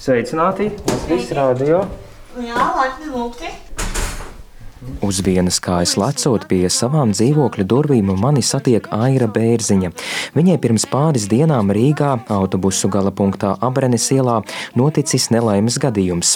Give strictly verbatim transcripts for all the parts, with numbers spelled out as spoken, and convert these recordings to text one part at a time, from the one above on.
Sveicināti! Latvijas radio! Jā, laipni lūgti! Uz vienas kājas lecot pie savām dzīvokļa durvīm mani satiek Aira Bērziņa. Viņai pirms pāris dienām Rīgā autobusu gala punktā Abrenes ielā noticis nelaimes gadījums.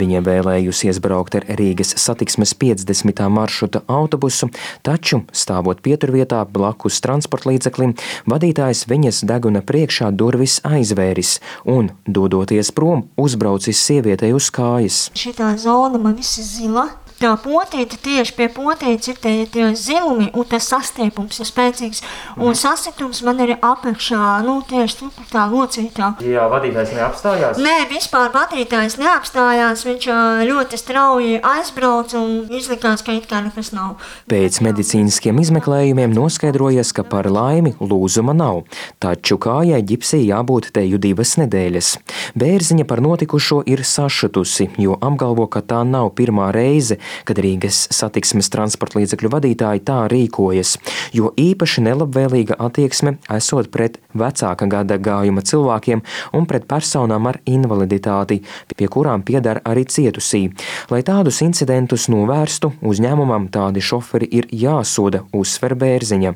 Viņa vēlējusies braukt ar Rīgas satiksmes piecdesmitā maršruta autobusu, taču, stāvot pieturvietā blakus transportlīdzeklim, vadītājs viņas deguna priekšā durvis aizvēris un, dodoties prom, uzbraucis sievietei uz kājas. Šitā zona man viss ir zila. Tā potīte, tieši pie potītes ir tie, tie zilumi, un tas sastiepums ir spēcīgs. Un sasitums man ir apakšā, nu, tieši tā locītā. Jā, vadītājs neapstājās? Nē, vispār vadītājs neapstājās, viņš ļoti strauji aizbrauc un izlikās, ka it kā nekas nav. Pēc medicīniskiem izmeklējumiem noskaidrojies, ka par laimi lūzuma nav, taču kājai ģipsī jābūt teju divas nedēļas. Bērziņa par notikušo ir sašutusi, jo apgalvo, ka tā nav pirmā reize, kad Rīgas satiksmes transportlīdzekļu vadītāji tā rīkojas, jo īpaši nelabvēlīga attieksme esot pret vecāka gada gājuma cilvēkiem un pret personām ar invaliditāti, pie kurām piedar arī cietusī. Lai tādus incidentus novērstu, uzņēmumam tādi šoferi ir jāsoda, uzsver Bērziņa.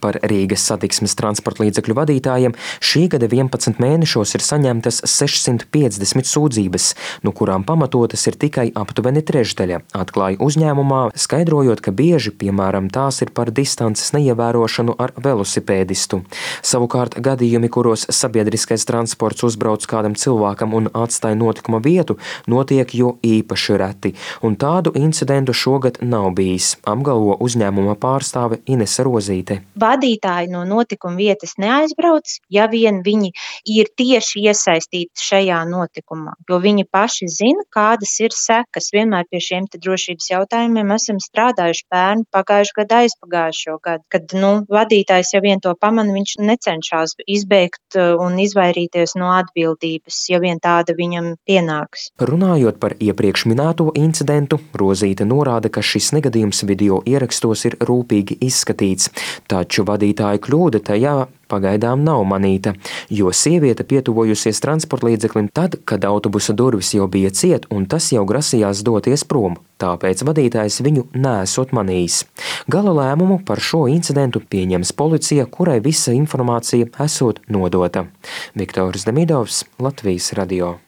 Par Rīgas satiksmes transportlīdzekļu vadītājiem šī gada vienpadsmit mēnešos ir saņemtas sešsimt piecdesmit sūdzības, no kurām pamatotas ir tikai aptuveni trešdaļa, atklāja uzņēmumā, skaidrojot, ka bieži, piemēram, tās ir par distances neievērošanu ar velosipēdistu. Savukārt gadījumi, kuros sabiedriskais transports uzbrauc kādam cilvēkam un atstāja notikuma vietu, notiek jo īpaši reti, un tādu incidentu šogad nav bijis, apgalvo uzņēmuma pārstāve Inese Rozīte. Vadītāji no notikuma vietas neaizbrauc, ja vien viņi ir tieši iesaistīti šajā notikumā, jo viņi paši zina, kādas ir sekas. Vienmēr pie šiem te drošības jautājumiem esam strādājuši pērn, pagājuši gadu, aizpagājušo gadu, kad, nu, vadītājs, ja vien to pamana, viņš necenšas izbeigt un izvairīties no atbildības, ja vien tāda viņam pienāks. Runājot par iepriekš minēto incidentu, Rozīte norāda, ka šis negadījums video ierakstos ir rūpīgi izskatīts, taču vadītāja kļūda tajā pagaidām nav manīta, jo sieviete pietuvojusies transportlīdzeklim tad, kad autobusa durvis jau bija ciet un tas jau grasījās doties prom, tāpēc vadītājs viņu neesot manījis. Gala lēmumu par šo incidentu pieņems policija, kurai visa informācija esot nodota. Viktors Demidovs, Latvijas radio.